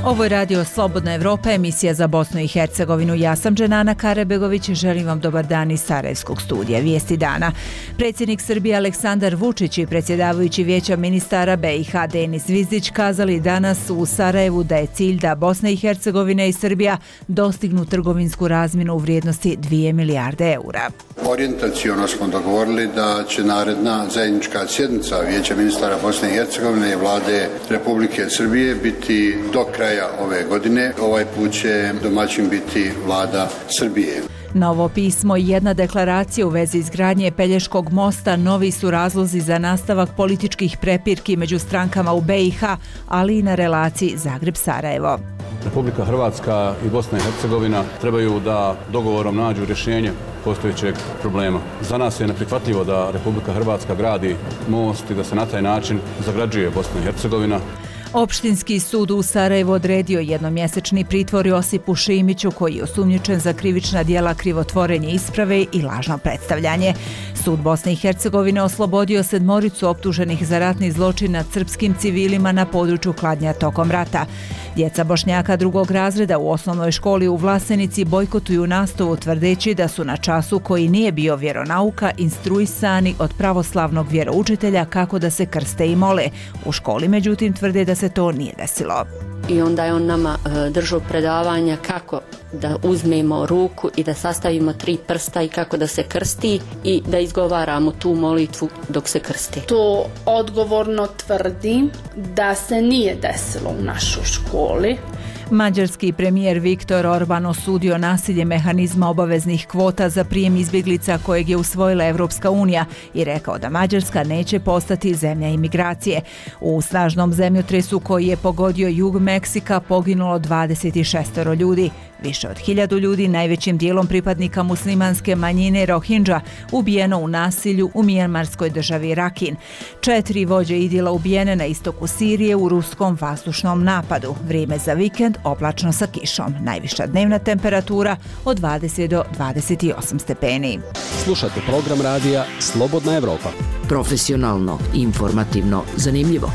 Ovo je radio Slobodna Evropa, emisija za Bosnu i Hercegovinu. Ja sam Dženana Karebegović i želim vam dobar dan iz Sarajevskog studija. Vijesti dana. Predsjednik Srbije Aleksandar Vučić i predsjedavajući Vijeća ministara BiH Denis Zvizdić kazali danas u Sarajevu da je cilj da Bosna i Hercegovina i Srbija dostignu trgovinsku razmjenu u vrijednosti 2 milijarde eura. Orijentaciono smo dogovorili da će naredna zajednička sjednica Vijeća ministara Bosne i Hercegovine i Vlade Republike Srbije biti do kraja ove godine. Ovaj put će domaćin biti Vlada Srbije. Novo pismo i jedna deklaracija u vezi izgradnje Pelješkog mosta novi su razlozi za nastavak političkih prepirki među strankama u BiH, ali i na relaciji Zagreb-Sarajevo. Republika Hrvatska i Bosna i Hercegovina trebaju da dogovorom nađu rješenje postojećeg problema. Za nas je neprihvatljivo da Republika Hrvatska gradi most i da se na taj način zagrađuje Bosna i Hercegovina. Opštinski sud u Sarajevu odredio jednomjesečni pritvor Josipu Šimiću, koji je osumnjičen za krivična djela krivotvorenje isprave i lažno predstavljanje. Sud Bosne i Hercegovine oslobodio 7 optuženih za ratni zločin nad srpskim civilima na području Kladnja tokom rata. Djeca Bošnjaka drugog razreda u osnovnoj školi u Vlasenici bojkotuju nastavu tvrdeći da su na času koji nije bio vjeronauka instruisani od pravoslavnog vjeroučitelja kako da se krste i mole. U školi međutim tvrde da se to nije desilo. I onda je on nama držao predavanja kako da uzmemo ruku i da sastavimo 3 prsta i kako da se krsti i da izgovaramo tu molitvu dok se krsti. To odgovorno tvrdim da se nije desilo u našoj školi. Mađarski premijer Viktor Orban osudio nasilje mehanizma obaveznih kvota za prijem izbjeglica kojeg je usvojila Evropska unija i rekao da Mađarska neće postati zemlja imigracije. U snažnom zemljotresu koji je pogodio jug Meksika poginulo 26 ljudi. Više od 1000 ljudi, najvećim dijelom pripadnika muslimanske manjine Rohingya, ubijeno u nasilju u mijanmarskoj državi Rakin. 4 vođe idila ubijene na istoku Sirije u ruskom vazdušnom napadu. Vrijeme za vikend oblačno sa kišom. Najviša dnevna temperatura od 20 do 28 stepeni. Slušate program radija Slobodna Evropa. Profesionalno, informativno, zanimljivo.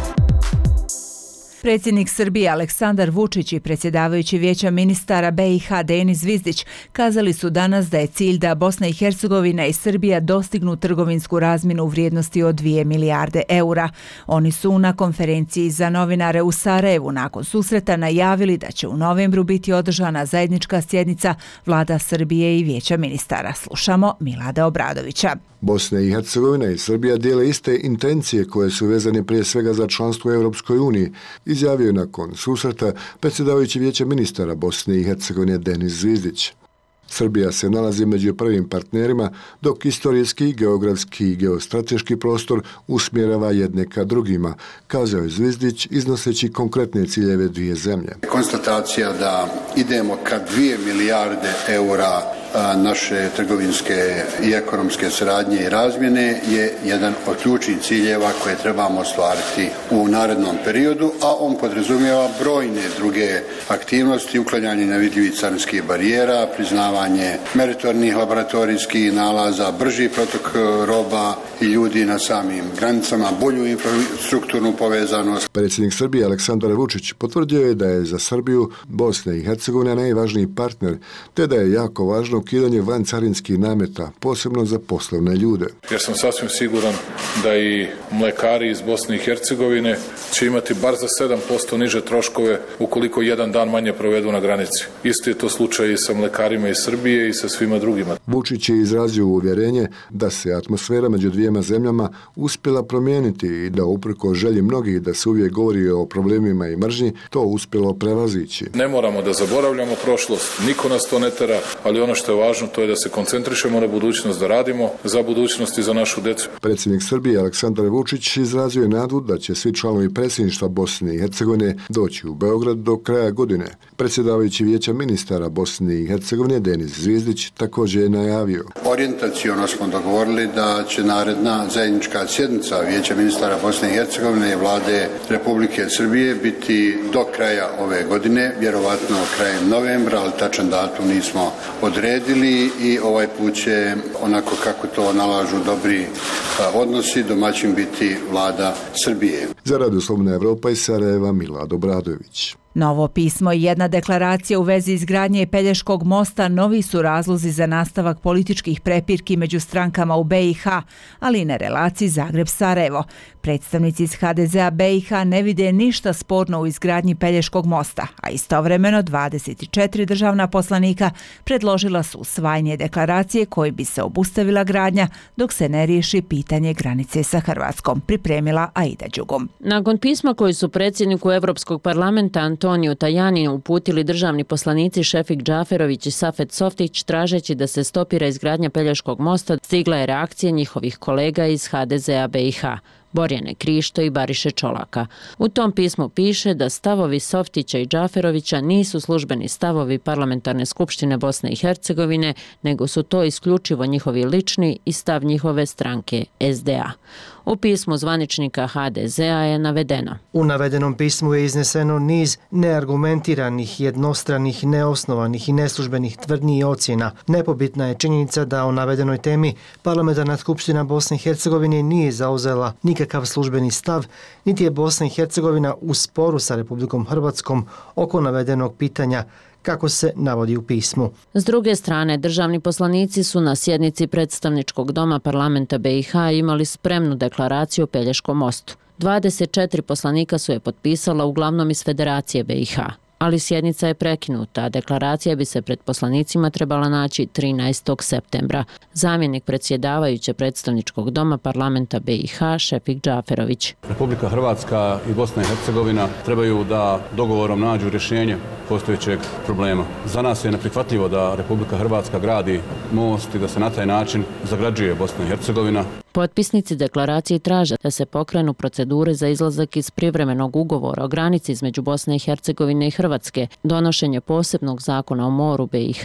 Predsjednik Srbije Aleksandar Vučić i predsjedavajući Vijeća ministara BiH Denis Zvizdić kazali su danas da je cilj da Bosna i Hercegovina i Srbija dostignu trgovinsku razmjenu u vrijednosti od 2 milijarde eura. Oni su na konferenciji za novinare u Sarajevu nakon susreta najavili da će u novembru biti održana zajednička sjednica Vlada Srbije i Vijeća ministara. Slušamo Milada Obradovića. Bosna i Hercegovina i Srbija dijele iste intencije koje su vezane prije svega za članstvo u Europskoj uniji, izjavio je nakon susreta predsjedavajući Vijeća ministara Bosne i Hercegovine Denis Zvizdić. Srbija se nalazi među prvim partnerima, dok istorijski, geografski i geostrateški prostor usmjerava jedne ka drugima, kazao je Zvizdić iznoseći konkretne ciljeve dvije zemlje. Konstatacija da idemo ka 2 milijarde eura naše trgovinske i ekonomske saradnje i razmjene je jedan od ključnih ciljeva koje trebamo ostvariti u narednom periodu, a on podrazumijeva brojne druge aktivnosti, uklanjanje nevidljivih carinskih barijera, priznavanje meritornih laboratorijskih nalaza, brži protok roba i ljudi na samim granicama, bolju infrastrukturnu povezanost. Predsjednik Srbije Aleksandar Vučić potvrdio je da je za Srbiju Bosna i Hercegovina najvažniji partner, te da je jako važno ukidanje vancarinskih nameta, posebno za poslovne ljude. Jer sam sasvim siguran da i mlekari iz Bosne i Hercegovine će imati bar za 7% niže troškove ukoliko jedan dan manje provedu na granici. Isto je to slučaj i sa mlekarima iz Srbije i sa svima drugima. Vučić je izrazio uvjerenje da se atmosfera među dvijema zemljama uspjela promijeniti i da uprkos želji mnogih da se uvijek govori o problemima i mržnji, to uspjelo prevazići. Ne moramo da zaboravljamo prošlost, niko nas to ne tera, ali ono što je važno to je da se koncentrišemo na budućnost, da radimo za budućnost i za našu djecu. Predsjednik Srbije Aleksandar Vučić izrazio je nadu da će svi članovi predsjedništva Bosne i Hercegovine doći u Beograd do kraja godine. Predsjedavajući Vijeća ministara Bosne i Hercegovine Denis Zvizdić također je najavio. Orijentaciono smo dogovorili da će naredna zajednička sjednica Vijeća ministara Bosne i Hercegovine i Vlade Republike Srbije biti do kraja ove godine, vjerovatno krajem novembra, ali tačan datum nismo odredili i ovaj put će, onako kako to nalažu dobri odnosi, domaćin biti Vlada Srbije. Za Radio Slobodna Evropa iz Sarajeva Milad Obradović. Novo pismo i jedna deklaracija u vezi izgradnje Pelješkog mosta novi su razlozi za nastavak političkih prepirki među strankama u BiH, ali i na relaciji Zagreb-Sarajevo. Predstavnici iz HDZ-a BiH ne vide ništa sporno u izgradnji Pelješkog mosta, a istovremeno 24 državna poslanika predložila su usvajanje deklaracije koji bi se obustavila gradnja dok se ne riješi pitanje granice sa Hrvatskom, pripremila Aida Đugum. Nakon pisma koji su predsjedniku Europskog parlamenta Antoniju Tajaniju uputili državni poslanici Šefik Džaferović i Safet Softić tražeći da se stopira izgradnja Pelješkog mosta, stigla je reakcija njihovih kolega iz HDZ-a BiH. Borjane Krišto i Bariše Čolaka. U tom pismu piše da stavovi Softića i Džaferovića nisu službeni stavovi Parlamentarne skupštine Bosne i Hercegovine, nego su to isključivo njihovi lični i stav njihove stranke SDA. U pismu zvaničnika HDZ-a je navedeno: U navedenom pismu je izneseno niz neargumentiranih, jednostranih, neosnovanih i neslužbenih tvrdnji i ocjena. Nepobitna je činjenica da o navedenoj temi Parlamentarna skupština Bosne i Hercegovine nije zauzela nikakav službeni stav, niti je Bosna i Hercegovina u sporu sa Republikom Hrvatskom oko navedenog pitanja, kako se navodi u pismu. S druge strane, državni poslanici su na sjednici predstavničkog doma parlamenta BiH imali spremnu deklaraciju o Pelješkom mostu. 24 poslanika su je potpisala uglavnom iz Federacije BiH, ali sjednica je prekinuta, a deklaracija bi se pred poslanicima trebala naći 13. septembra. Zamjenik predsjedavajuće predstavničkog doma parlamenta BiH Šefik Džaferović. Republika Hrvatska i Bosna i Hercegovina trebaju da dogovorom nađu rješenje postojećeg problema. Za nas je neprihvatljivo da Republika Hrvatska gradi most i da se na taj način zagrađuje Bosna i Hercegovina. Potpisnici deklaracije traže da se pokrenu procedure za izlazak iz privremenog ugovora o granici između Bosne i Hercegovine i Hrvatske, donošenje posebnog zakona o moru BiH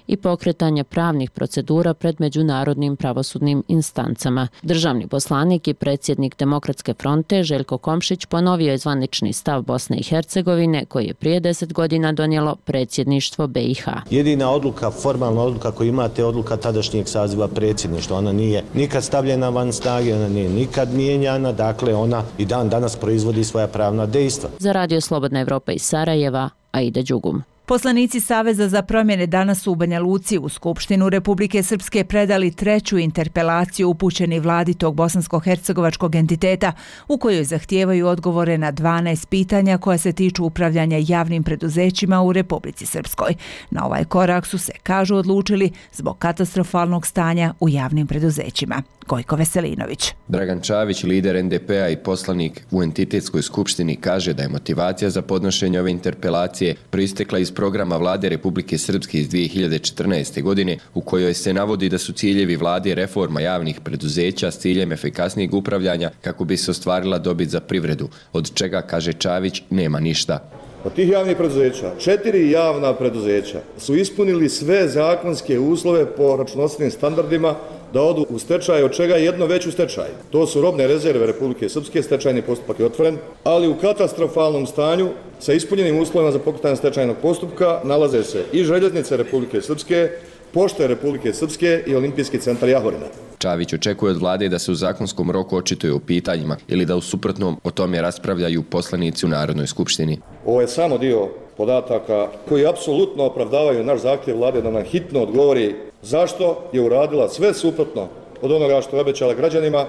i pokretanje pravnih procedura pred međunarodnim pravosudnim instancama. Državni poslanik i predsjednik Demokratske fronte Željko Komšić ponovio je zvanični stav Bosne i Hercegovine koji je prije 10 godina donijelo predsjedništvo BiH. Jedina odluka, formalna odluka koju imate je odluka tadašnjeg saziva predsjedništva. Ona nije nikad stavljena van snage, ona nije nikad mijenjana, dakle ona i dan danas proizvodi svoja pravna dejstva. Za Radio Slobodna Evropa iz Sarajeva, Aida Đugum. Poslanici Saveza za promjene danas su u Banja Luci u Skupštinu Republike Srpske predali treću interpelaciju upućeni vladi tog bosansko-hercegovačkog entiteta u kojoj zahtijevaju odgovore na 12 pitanja koja se tiču upravljanja javnim preduzećima u Republici Srpskoj. Na ovaj korak su se, kažu, odlučili zbog katastrofalnog stanja u javnim preduzećima. Gojko Veselinović. Dragan Čavić, lider NDP-a i poslanik u entitetskoj skupštini, kaže da je motivacija za podnošenje ove interpelacije proistekla iz programa vlade Republike Srpske iz 2014. godine u kojoj se navodi da su ciljevi vlade reforma javnih preduzeća s ciljem efikasnijeg upravljanja kako bi se ostvarila dobit za privredu, od čega, kaže Čavić, nema ništa. Od tih javnih preduzeća, 4 javna preduzeća su ispunili sve zakonske uslove po računovodstvenim standardima da odu u stečaj, od čega je jedno već u stečaju. To su robne rezerve Republike Srpske, stečajni postupak je otvoren, ali u katastrofalnom stanju sa ispunjenim uslovima za pokretanje stečajnog postupka nalaze se i željeznice Republike Srpske, Pošte Republike Srpske i Olimpijski centar Jahorina. Čavić očekuje od vlade da se u zakonskom roku očituje u pitanjima ili da u suprotnom o tome raspravljaju poslanici u Narodnoj skupštini. Ovo je samo dio podataka koji apsolutno opravdavaju naš zahtjev vlade da nam hitno odgovori zašto je uradila sve suprotno od onoga što je obećala građanima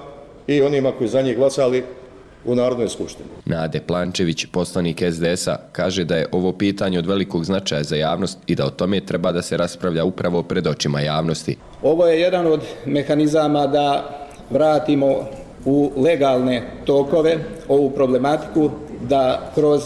i onima koji za njih glasali u Narodnoj skupštini. Nade Plančević, poslanik SDS-a, kaže da je ovo pitanje od velikog značaja za javnost i da o tome treba da se raspravlja upravo pred očima javnosti. Ovo je jedan od mehanizama da vratimo u legalne tokove ovu problematiku, da kroz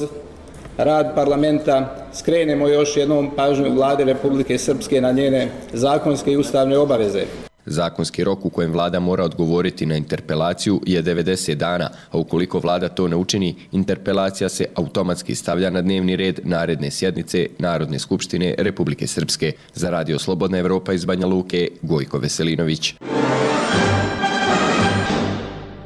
rad parlamenta skrenemo još jednom pažnju vlade Republike Srpske na njene zakonske i ustavne obaveze. Zakonski rok u kojem vlada mora odgovoriti na interpelaciju je 90 dana, a ukoliko vlada to ne učini, interpelacija se automatski stavlja na dnevni red naredne sjednice Narodne skupštine Republike Srpske. Za Radio Slobodna Evropa iz Banja Luke, Gojko Veselinović.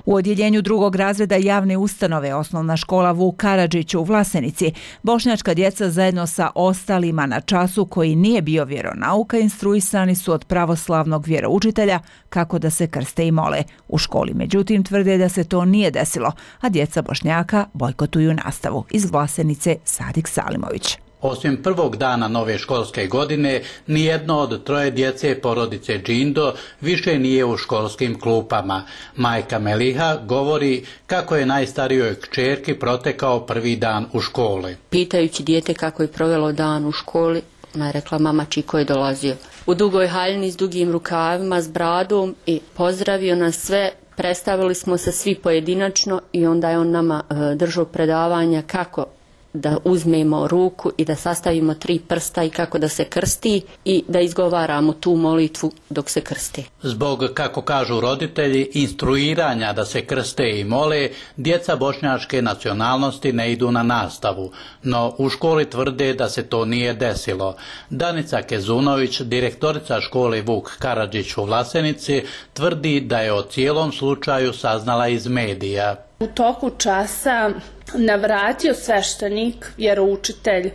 U odjeljenju drugog razreda javne ustanove Osnovna škola Vuk Karadžić u Vlasenici, bošnjačka djeca zajedno sa ostalima na času koji nije bio vjeronauka instruisani su od pravoslavnog vjeroučitelja kako da se krste i mole. U školi međutim tvrde da se to nije desilo, a djeca Bošnjaka bojkotuju nastavu. Iz Vlasenice Sadik Salimović. Osim prvog dana nove školske godine, nijedno od troje djece porodice Džindo više nije u školskim klupama. Majka Meliha govori kako je najstarijoj kćerki protekao prvi dan u školi. Pitajući dijete kako je provelo dan u školi, ona je rekla: mama, Čiko je dolazio u dugoj haljini s dugim rukavima, s bradom i pozdravio nas sve. Predstavili smo se svi pojedinačno i onda je on nama držao predavanja kako da uzmemo ruku i da sastavimo 3 prsta i kako da se krsti i da izgovaramo tu molitvu dok se krsti. Zbog, kako kažu roditelji, instruiranja da se krste i mole, djeca bošnjačke nacionalnosti ne idu na nastavu, no u školi tvrde da se to nije desilo. Danica Kezunović, direktorica škole Vuk Karadžić u Vlasenici, tvrdi da je o cijelom slučaju saznala iz medija. U toku časa navratio sveštenik, vjeroučitelj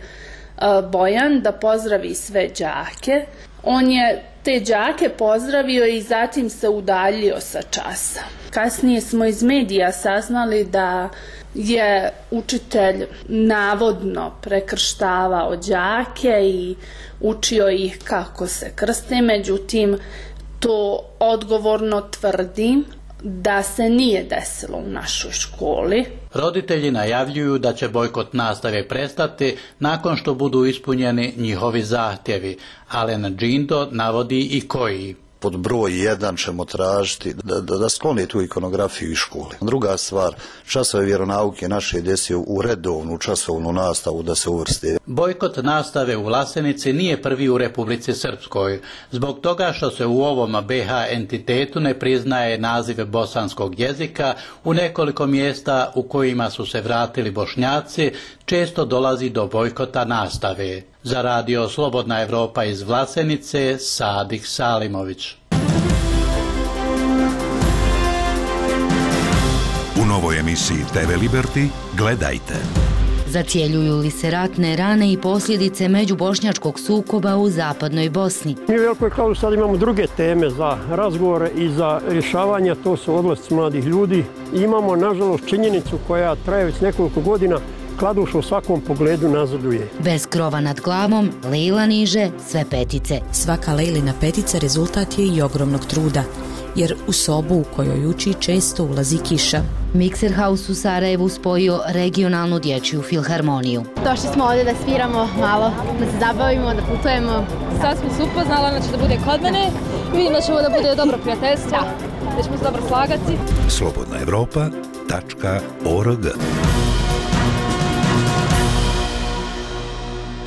Bojan, da pozdravi sve đake. On je te đake pozdravio i zatim se udaljio sa časa. Kasnije smo iz medija saznali da je učitelj navodno prekrštavao đake i učio ih kako se krste, međutim to odgovorno tvrdim da se nije desilo u našoj školi. Roditelji najavljuju da će bojkot nastave prestati nakon što budu ispunjeni njihovi zahtjevi. Alen Džindo navodi i koji. Pod broj 1 ćemo tražiti da skloni tu ikonografiju iz škole. Druga stvar, časove vjeronauke naše djece u redovnu časovnu nastavu da se uvrste. Bojkot nastave u Vlasenici nije prvi u Republici Srpskoj. Zbog toga što se u ovom BH entitetu ne priznaje naziv bosanskog jezika, u nekoliko mjesta u kojima su se vratili Bošnjaci, često dolazi do bojkota nastave. Za radio Slobodna Evropa iz Vlasenice, Sadik Salimović. U novoj emisiji TV Liberty gledajte. Zacjeljuju li se ratne rane i posljedice međubošnjačkog sukoba u zapadnoj Bosni? Mi u Velikoj Kladuši sad imamo druge teme za razgovore i za rješavanje, to su odlasci mladih ljudi. Imamo, nažalost, činjenicu koja traje već nekoliko godina. Kladuša u svakom pogledu nazaduje. Bez krova nad glavom, Lejla niže sve petice. Svaka Lejlina petica rezultat je i ogromnog truda, jer u sobu u kojoj uči često ulazi kiša. Mixer House u Sarajevu spojio regionalnu dječju filharmoniju. Došli smo ovdje da sviramo malo, da se zabavimo, da putujemo. Sad smo se upoznala, znači da bude kod mene. Vidim da će ovo da bude dobro prijateljstvo, da ćemo se dobro slagati. slobodnaevropa.org.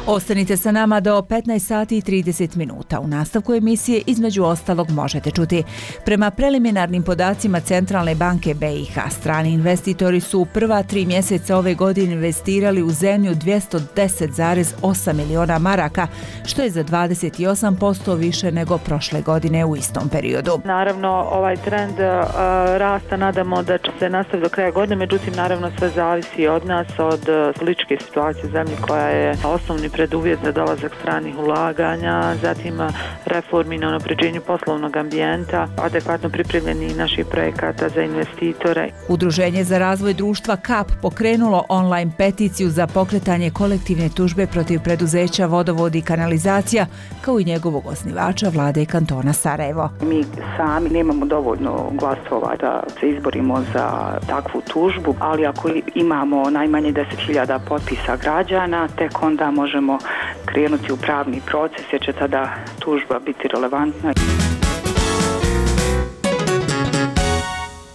Ostanite sa nama do 15 sati i 30 minuta. U nastavku emisije između ostalog možete čuti. Prema preliminarnim podacima Centralne banke BiH, strani investitori su u prva 3 mjeseca ove godine investirali u zemlju 210,8 miliona maraka, što je za 28% više nego prošle godine u istom periodu. Naravno, ovaj trend rasta nadamo da će se nastaviti do kraja godine, međutim, naravno sve zavisi od nas, od političke situacije u zemlji koja je osnovni preduvjet za dolazak stranih ulaganja, zatim reformi na unapređenju poslovnog ambijenta, adekvatno pripremljeni naših projekata za investitore. Udruženje za razvoj društva KAP pokrenulo online peticiju za pokretanje kolektivne tužbe protiv preduzeća Vodovod i kanalizacija, kao i njegovog osnivača Vlade kantona Sarajevo. Mi sami nemamo dovoljno glasova da se izborimo za takvu tužbu, ali ako imamo najmanje 10.000 potpisa građana, tek onda možemo krenuti u pravni proces jer će tada tužba biti relevantna.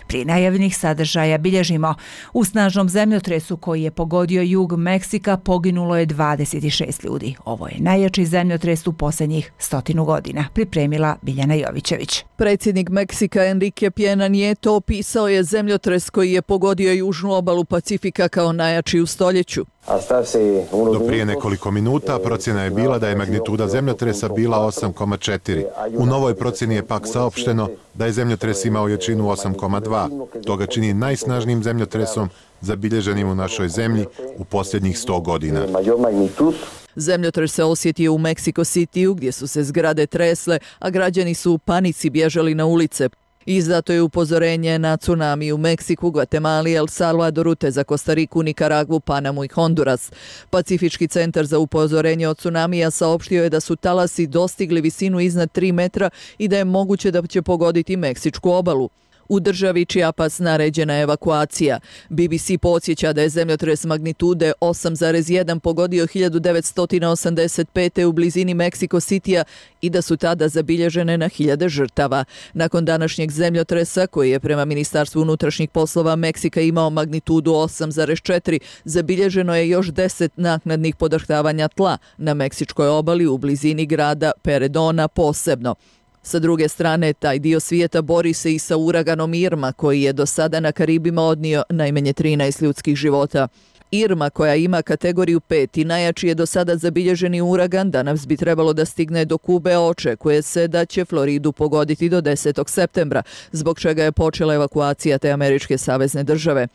Prije najavljenih sadržaja bilježimo. U snažnom zemljotresu koji je pogodio jug Meksika poginulo je 26 ljudi. Ovo je najjači zemljotres u posljednjih 100 godina, pripremila Biljana Jovićević. Predsjednik Meksika Enrique Pena Nieto opisao je zemljotres koji je pogodio južnu obalu Pacifika kao najjači u stoljeću. Do prije nekoliko minuta procjena je bila da je magnituda zemljotresa bila 8,4. U novoj procjeni je pak saopšteno da je zemljotres imao jačinu 8,2. To ga čini najsnažnijim zemljotresom zabilježenim u našoj zemlji u posljednjih 100 godina. Zemljotres se osjetio u Mexico Cityu gdje su se zgrade tresle, a građani su u panici bježali na ulice. Izdato je upozorenje na tsunami u Meksiku, Gvatemali, El Salvadoru te za Kostariku, Nikaragvu, Panamu i Honduras. Pacifički centar za upozorenje od tsunamija saopštio je da su talasi dostigli visinu iznad 3 metra i da je moguće da će pogoditi Meksičku obalu. U državi Chiapas naređena je evakuacija. BBC podsjeća da je zemljotres magnitude 8,1 pogodio 1985. u blizini Mexico Citya i da su tada zabilježene na hiljade žrtava. Nakon današnjeg zemljotresa, koji je prema Ministarstvu unutrašnjih poslova Meksika imao magnitudu 8,4, zabilježeno je još 10 naknadnih podrhtavanja tla na meksičkoj obali u blizini grada Peredona posebno. Sa druge strane, taj dio svijeta bori se i sa uraganom Irma, koji je do sada na Karibima odnio najmanje 13 ljudskih života. Irma, koja ima kategoriju 5 i najjači je do sada zabilježeni uragan, danas bi trebalo da stigne do Kube, očekuje se da će Floridu pogoditi do 10. septembra, zbog čega je počela evakuacija te američke savezne države.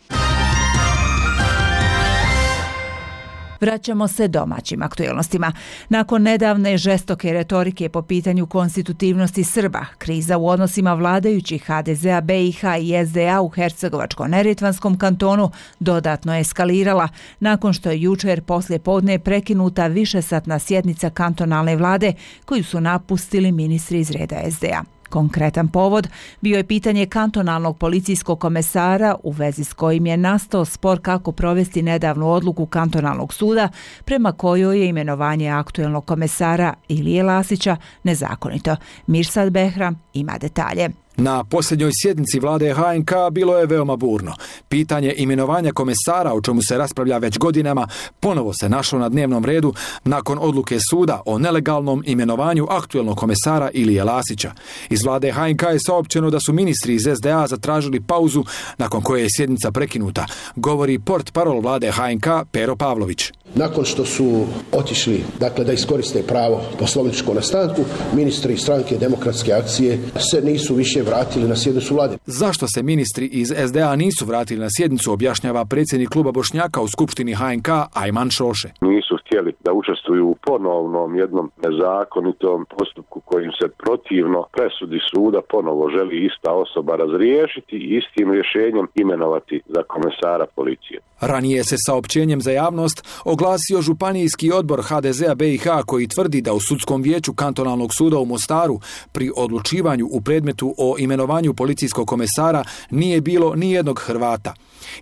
Vraćamo se domaćim aktuelnostima. Nakon nedavne žestoke retorike po pitanju konstitutivnosti Srba, kriza u odnosima vladajućih HDZ-a, BiH i SDA u Hercegovačko-neretvanskom kantonu dodatno je eskalirala nakon što je jučer poslije podne prekinuta višesatna sjednica kantonalne vlade koju su napustili ministri iz reda SDA. Konkretan povod bio je pitanje kantonalnog policijskog komesara u vezi s kojim je nastao spor kako provesti nedavnu odluku kantonalnog suda prema kojoj je imenovanje aktuelnog komesara Ilije Lasića nezakonito. Mirsad Behram ima detalje. Na posljednjoj sjednici vlade HNK bilo je veoma burno. Pitanje imenovanja komesara, o čemu se raspravlja već godinama, ponovo se našlo na dnevnom redu nakon odluke suda o nelegalnom imenovanju aktuelnog komesara Ilije Lasića. Iz vlade HNK je saopćeno da su ministri iz SDA zatražili pauzu nakon koje je sjednica prekinuta, govori portparol vlade HNK Pero Pavlović. Nakon što su otišli, da iskoriste pravo poslovničko na stanku, ministri stranke Demokratske akcije se nisu više vratili na sjednicu vlade. Zašto se ministri iz SDA nisu vratili na sjednicu, objašnjava predsjednik kluba Bošnjaka u skupštini HNK Ajman Šoše. Nisu htjeli da učestvuju u ponovnom jednom nezakonitom postupku kojim se protivno presudi suda ponovo želi ista osoba razriješiti i istim rješenjem imenovati za komesara policije. Ranije se saopćenjem za javnost oglasio županijski odbor HDZ-a BiH koji tvrdi da u sudskom vijeću kantonalnog suda u Mostaru pri odlučivanju u predmetu o imenovanju policijskog komesara nije bilo ni jednog Hrvata.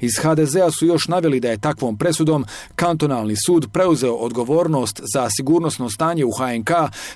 Iz HDZ-a su još naveli da je takvom presudom kantonalni sud preuzeo odgovornost za sigurnosno stanje u HNK,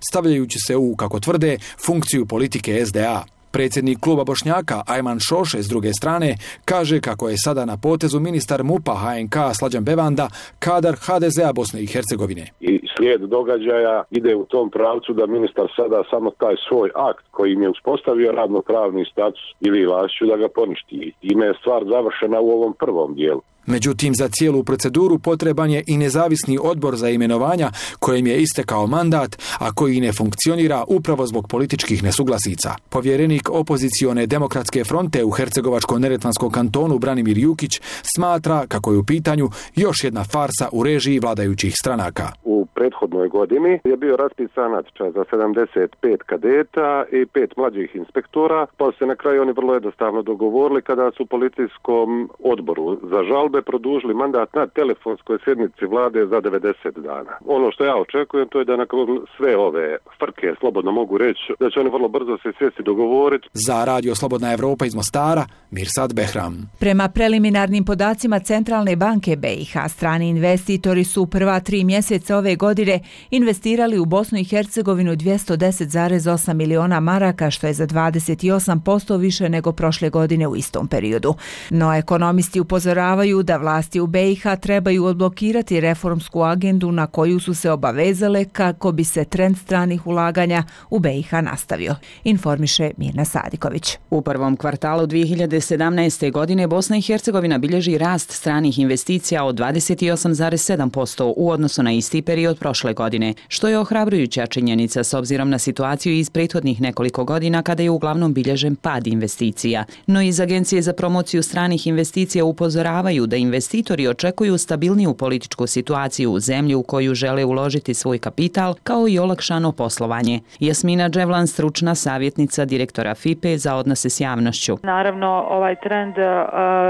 stavljajući se u, kako tvrde, funkciju politike SDA. Predsjednik kluba Bošnjaka Ajman Šoše s druge strane kaže kako je sada na potezu ministar MUP-a HNK Slađan Bevanda, kadar HDZ-a Bosne i Hercegovine. I slijed događaja ide u tom pravcu da ministar sada samo taj svoj akt kojim je uspostavio radno-pravni status Iliji Lasiću da ga poništi. Time je stvar završena u ovom prvom dijelu. Međutim, za cijelu proceduru potreban je i nezavisni odbor za imenovanja kojem je istekao mandat, a koji ne funkcionira upravo zbog političkih nesuglasica. Povjerenik opozicione Demokratske fronte u Hercegovačko-neretvanskom kantonu Branimir Jukić smatra kako je u pitanju još jedna farsa u režiji vladajućih stranaka. U prethodnoj godini je bio raspisan natječaj za 75 kadeta i 5 mlađih inspektora, pa se na kraju oni vrlo jednostavno dogovorili kada su policijskom odboru za žalbe produžili mandat na telefonskoj sjednici vlade za 90 dana. Ono što ja očekujem to je da nakon sve ove frke, slobodno mogu reći, da će oni vrlo brzo se sjesti dogovoriti. Za Radio Slobodna Evropa iz Mostara, Mirsad Behram. Prema preliminarnim podacima Centralne banke BiH, strani investitori su u prva 3 mjeseca ove godine investirali u Bosnu i Hercegovinu 210,8 miliona maraka, što je za 28% više nego prošle godine u istom periodu. No ekonomisti upozoravaju da vlasti u BiH trebaju odblokirati reformsku agendu na koju su se obavezale kako bi se trend stranih ulaganja u BiH nastavio, informiše Mirna Sadiković. U prvom kvartalu 2017. godine Bosna i Hercegovina bilježi rast stranih investicija od 28,7% u odnosu na isti period prošle godine, što je ohrabrujuća činjenica s obzirom na situaciju iz prethodnih nekoliko godina kada je uglavnom bilježen pad investicija. No iz Agencije za promociju stranih investicija upozoravaju da investitori očekuju stabilniju političku situaciju u zemlji u koju žele uložiti svoj kapital, kao i olakšano poslovanje. Jasmina Dževlan, stručna savjetnica direktora FIPE za odnose s javnošću. Naravno, ovaj trend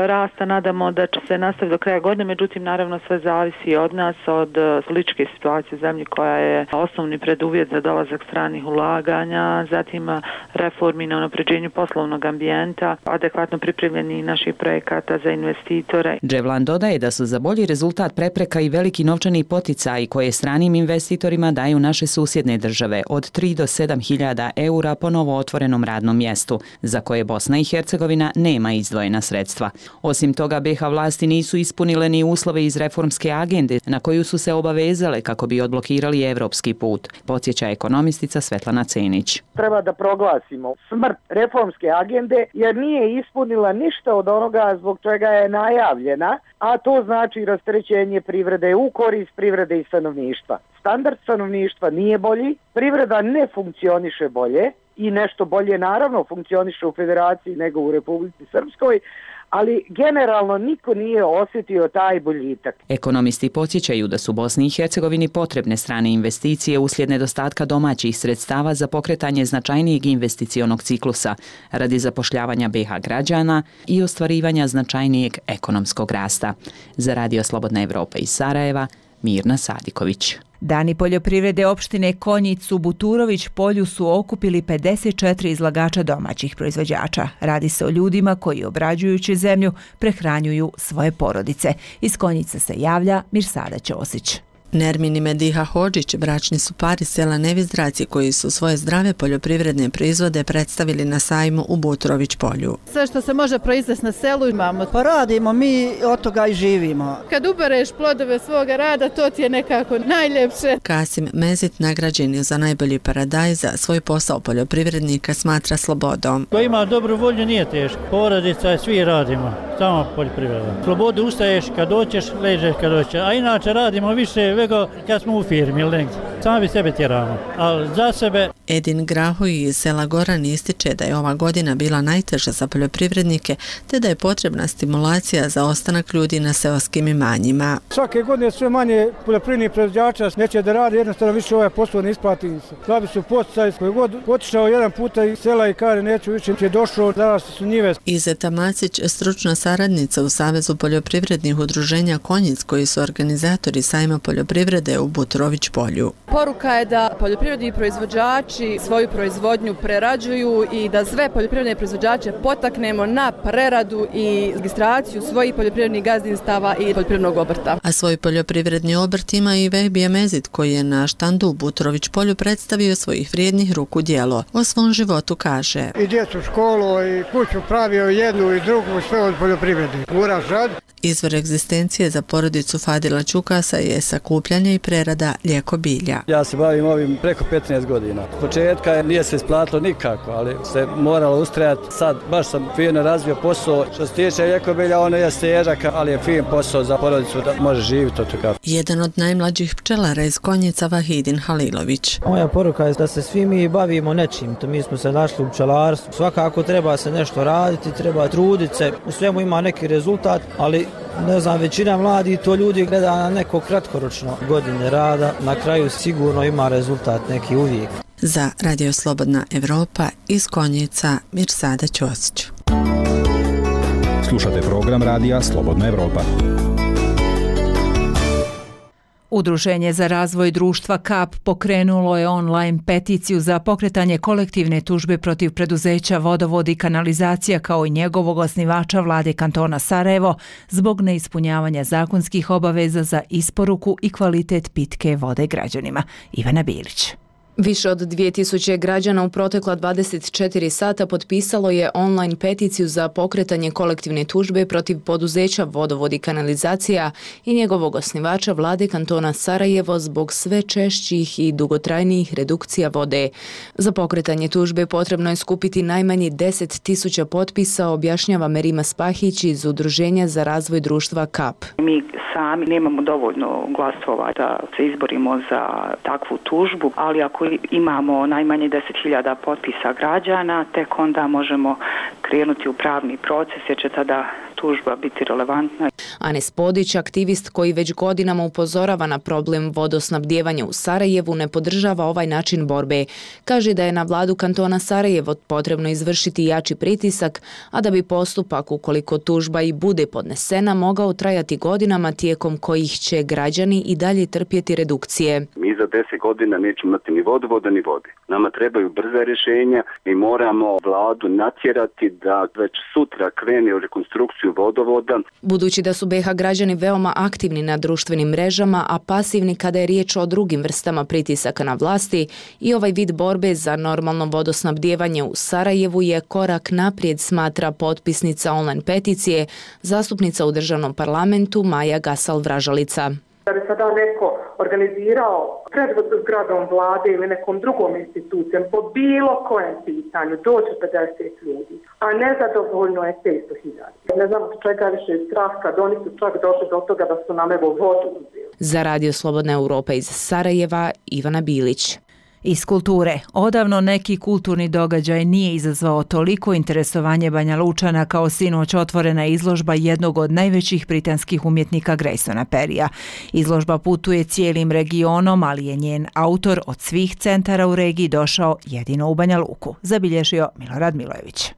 rasta nadamo da će se nastaviti do kraja godine, međutim, naravno sve zavisi od nas, od političke situacije u zemlji koja je osnovni preduvjet za dolazak stranih ulaganja, zatim reformi na unapređenju poslovnog ambijenta, adekvatno pripremljeni naših projekata za investitore. Dževlan dodaje da su za bolji rezultat prepreka i veliki novčani poticaji koje stranim investitorima daju naše susjedne države od 3 do 7.000 eura po novo otvorenom radnom mjestu, za koje Bosna i Hercegovina nema izdvojena sredstva. Osim toga, BiH vlasti nisu ispunile ni uslove iz reformske agende na koju su se obavezale kako bi odblokirali evropski put, podsjeća ekonomistica Svetlana Cenić. Treba da proglasimo smrt reformske agende jer nije ispunila ništa od onoga zbog čega je najavljena, a to znači rasterećenje privrede u korist privrede i stanovništva. Standard stanovništva nije bolji, privreda ne funkcioniše bolje i nešto bolje naravno funkcioniše u Federaciji nego u Republici Srpskoj, ali generalno niko nije osjetio taj boljitak. Ekonomisti podsjećaju da su Bosni i Hercegovini potrebne strane investicije uslijed nedostatka domaćih sredstava za pokretanje značajnijeg investicionog ciklusa radi zapošljavanja BiH građana i ostvarivanja značajnijeg ekonomskog rasta. Za Radio Slobodna Evropa iz Sarajeva, Mirna Sadiković. Dani poljoprivrede opštine Konjic u Buturović polju su okupili 54 izlagača domaćih proizvođača. Radi se o ljudima koji obrađujući zemlju prehranjuju svoje porodice. Iz Konjica se javlja Mirsada Ćosić. Nermin i Mediha Hodžić bračni su par iz sela Nevizdraci koji su svoje zdrave poljoprivredne proizvode predstavili na sajmu u Buturović polju. Sve što se može proizvesti na selu imamo. Pa radimo, mi od toga i živimo. Kad ubereš plodove svoga rada, to ti je nekako najljepše. Kasim Mezit nagrađen je za najbolji paradajz za svoj posao poljoprivrednika smatra slobodom. Ko ima dobru volju nije teško. Porodica svi radimo, samo poljoprivreda. Slobodu ustaješ kad doćeš, ležeš kad doćeš, a inače radimo više vego kad smo u firmi ili negdje. Sami sebe tjeramo, ali za sebe... Edin Grahuj iz sela Goran ističe da je ova godina bila najteža za poljoprivrednike, te da je potrebna stimulacija za ostanak ljudi na seoskim imanjima. Svake godine sve manje poljoprivrednih proizvođača neće da radi, jednostavno više ovaj posao ne isplati se. Slabi su poticaji, koji god otišao jedan puta iz sela i kaže neću više, je došao, danas su njive. Izeta Macić, stručna saradnica u Savezu poljoprivrednih udruženja Konjic, koji su organizatori sajma poljoprivrede u Buturović polju. Poruka je da poljoprivredni proizvođači svoju proizvodnju prerađuju i da sve poljoprivredne proizvođače potaknemo na preradu i registraciju svojih poljoprivrednih gazdinstava i poljoprivrednog obrta. A svoj poljoprivredni obrt ima i Vehbija Mezit koji je na štandu u Buturović polju predstavio svojih vrijednih ruku djelo. O svom životu kaže: I djecu školu i kuću pravio jednu i drugu, sve od poljoprivrede. Uraš rad. Izvor egzistencije za porodicu Fadila Ćukasa je sakupljanje i prerada lijeko bilja. Ja se bavim ovim preko 15 godina. Početka nije se isplatilo nikako, ali se moralo ustrajati. Sad baš sam fino razvio posao. Što se tiče lijeko bilja, ono je težak, ali je fin posao za porodicu da može živjeti od toga. Jedan od najmlađih pčelara iz Konjica, Vahidin Halilović. Moja poruka je da se svi mi bavimo nečim. To mi smo se našli u pčelarstvu. Svakako treba se nešto raditi, treba truditi se. U svemu ima neki rezultat, ali ne znam, većina mladih to ljudi gleda na neko kratkoročno godine rada, na kraju sigurno ima rezultat neki uvijek. Za Radio Slobodna Evropa iz Konjica, Mirsada Ćosić. Slušate program Radija Slobodna Evropa. Udruženje za razvoj društva KAP pokrenulo je online peticiju za pokretanje kolektivne tužbe protiv preduzeća Vodovod i kanalizacija kao i njegovog osnivača vlade kantona Sarajevo zbog neispunjavanja zakonskih obaveza za isporuku i kvalitet pitke vode građanima. Ivana Bilić. Više od 2000 građana u protekla 24 sata potpisalo je online peticiju za pokretanje kolektivne tužbe protiv poduzeća Vodovod i kanalizacija i njegovog osnivača vlade kantona Sarajevo zbog sve češćih i dugotrajnijih redukcija vode. Za pokretanje tužbe potrebno je skupiti najmanje 10.000 potpisa, objašnjava Merima Spahić iz Udruženja za razvoj društva KAP. Mi sami nemamo dovoljno glasova da se izborimo za takvu tužbu, ali ako imamo najmanje 10.000 potpisa građana, tek onda možemo krenuti u pravni proces jer će tada tužba biti relevantna. Anes Podić, aktivist koji već godinama upozorava na problem vodosnabdijevanja u Sarajevu, ne podržava ovaj način borbe. Kaže da je na vladu kantona Sarajevo potrebno izvršiti jači pritisak, a da bi postupak, ukoliko tužba i bude podnesena, mogao trajati godinama tijekom kojih će građani i dalje trpjeti redukcije. Mi za 10 godina nećemo imati ni vodovoda ni vode. Nama trebaju brza rješenja i moramo vladu natjerati da već sutra krene u rekonstrukciju vodovoda. Budući da su BiH građani veoma aktivni na društvenim mrežama, a pasivni kada je riječ o drugim vrstama pritisaka na vlasti, i ovaj vid borbe za normalno vodosnabdijevanje u Sarajevu je korak naprijed, smatra potpisnica online peticije, zastupnica u državnom parlamentu Maja Gasal-Vražalica. Da bi sada neko organizirao pred zgradom vlade ili nekom drugom institucijom po bilo kojem pitanju doći 50 ljudi, a nezadovoljno je 500.000. Ne znam čega više je strah kad oni su čak došli do toga da su nam evo vodu uzeli. Za Radio Slobodna Europa iz Sarajeva, Ivana Bilić. Iz kulture. Odavno neki kulturni događaj nije izazvao toliko interesovanje Banja Lučana kao sinoć otvorena izložba jednog od najvećih britanskih umjetnika Graysona Perrya. Izložba putuje cijelim regionom, ali je njen autor od svih centara u regiji došao jedino u Banja Luku, zabilježio Milorad Milojević.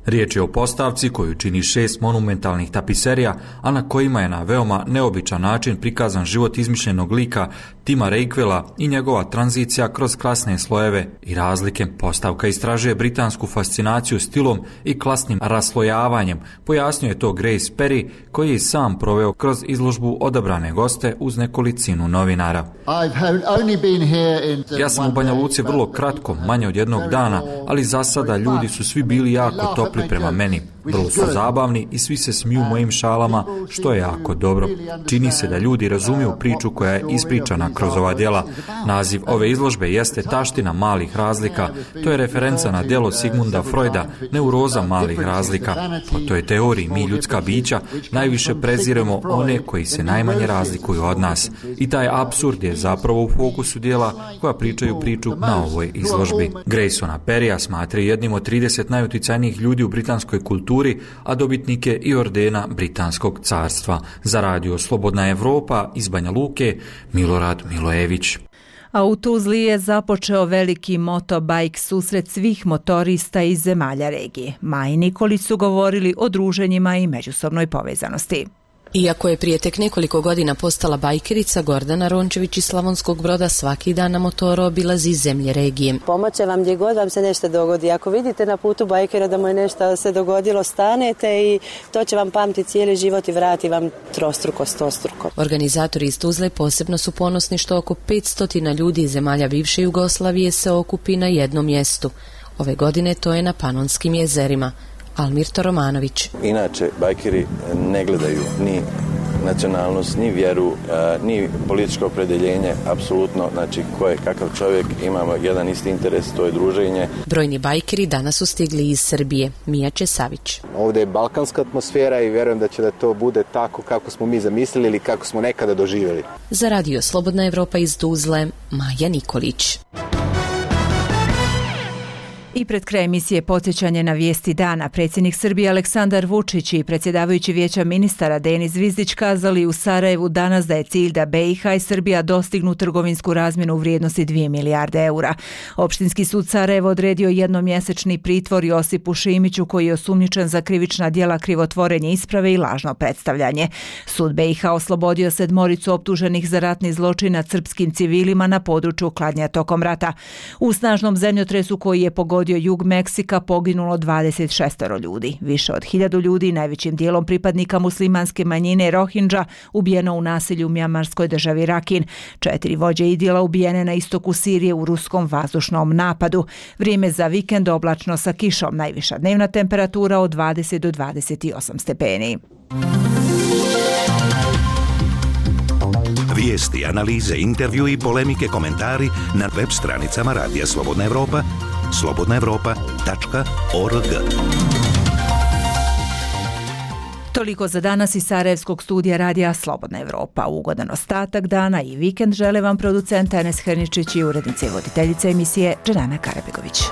Riječ je o postavci koju čini 6 monumentalnih tapiserija, a na kojima je na veoma neobičan način prikazan život izmišljenog lika Tima Reikvela i njegova tranzicija kroz klasne slojeve i razlike. Postavka istražuje britansku fascinaciju stilom i klasnim raslojavanjem, pojasnio je to Grace Perry, koji je sam proveo kroz izložbu odabrane goste uz nekolicinu novinara. Ja sam u Banja Luci vrlo kratko, manje od jednog dana, ali za sada ljudi su svi bili jako topli prema meni. Vrlo su zabavni i svi se smiju mojim šalama, što je jako dobro. Čini se da ljudi razumiju priču koja je ispričana kroz ova djela. Naziv ove izložbe jeste Taština malih razlika. To je referenca na djelo Sigmunda Freuda, Neuroza malih razlika. Po toj teoriji mi, ljudska bića, najviše preziremo one koji se najmanje razlikuju od nas. I taj apsurd je zapravo u fokusu djela koja pričaju priču na ovoj izložbi. Graysona Perrya smatra jednim od 30 najuticajnijih ljudi u britanskoj kulturi, a dobitnike i ordena Britanskog carstva. Za Radio Slobodna Evropa iz Banja Luke, Milorad Milojević. A u Tuzli je započeo veliki motobajk susret svih motorista iz zemalja regije. Maja i Nikolić su govorili o druženjima i međusobnoj povezanosti. Iako je prije tek nekoliko godina postala bajkerica, Gordana Rončević iz Slavonskog Broda svaki dan na motoru obilazi zemlje regije. Pomoće vam gdje god vam se nešto dogodi. Ako vidite na putu bajkera da mu je nešto se dogodilo, stanete i to će vam pamtiti cijeli život i vrati vam trostruko, stostruko. Organizatori iz Tuzle posebno su ponosni što oko 500 ljudi iz zemalja bivše Jugoslavije se okupi na jednom mjestu. Ove godine to je na Panonskim jezerima. Almirto Romanović. Inače, bajkeri ne gledaju ni nacionalnost, ni vjeru, ni političko opredjeljenje, apsolutno, znači ko je kakav čovjek, imamo jedan isti interes, to je druženje. Brojni bajkeri danas su stigli iz Srbije. Mija Česavić. Ovdje je balkanska atmosfera i vjerujem da će da to bude tako kako smo mi zamislili ili kako smo nekada doživjeli. Za Radio Slobodna Evropa iz Tuzle, Maja Nikolić. I pred kraj emisije podsjećanje na vijesti dana. Predsjednik Srbije Aleksandar Vučić i predsjedavajući Vijeća ministara Denis Zvizdić kazali u Sarajevu danas da je cilj da BiH i Srbija dostignu trgovinsku razmjenu u vrijednosti 2 milijarde eura. Opštinski sud Sarajevo odredio jednomjesečni pritvor Josipu Šimiću, koji je osumnjičen za krivična djela krivotvorenje isprave i lažno predstavljanje. Sud BiH oslobodio 7 optuženih za ratni zločin nad srpskim civilima na području Kladnja tokom rata. U snažnom zemljotresu koji je pogodio pogodio jug Meksika poginulo 26 ljudi. Više od 1000 ljudi, najvećim dijelom pripadnika muslimanske manjine Rohingya, ubijeno u nasilju u mjanmarskoj državi Rakin. 4 vođe idila ubijene na istoku Sirije u ruskom vazdušnom napadu. Vrijeme za vikend oblačno sa kišom, najviša dnevna temperatura od 20 do 28 stepeni. Vijesti, analize, intervju i polemike, komentari na web stranicama Radija Slobodna Evropa, slobodnaevropa.org. Toliko za danas iz Sarajevskog studija Radija Slobodna Evropa. Ugodan ostatak dana i vikend žele vam producent Enes Herničić i urednica i voditeljica emisije Dženana Karabegović.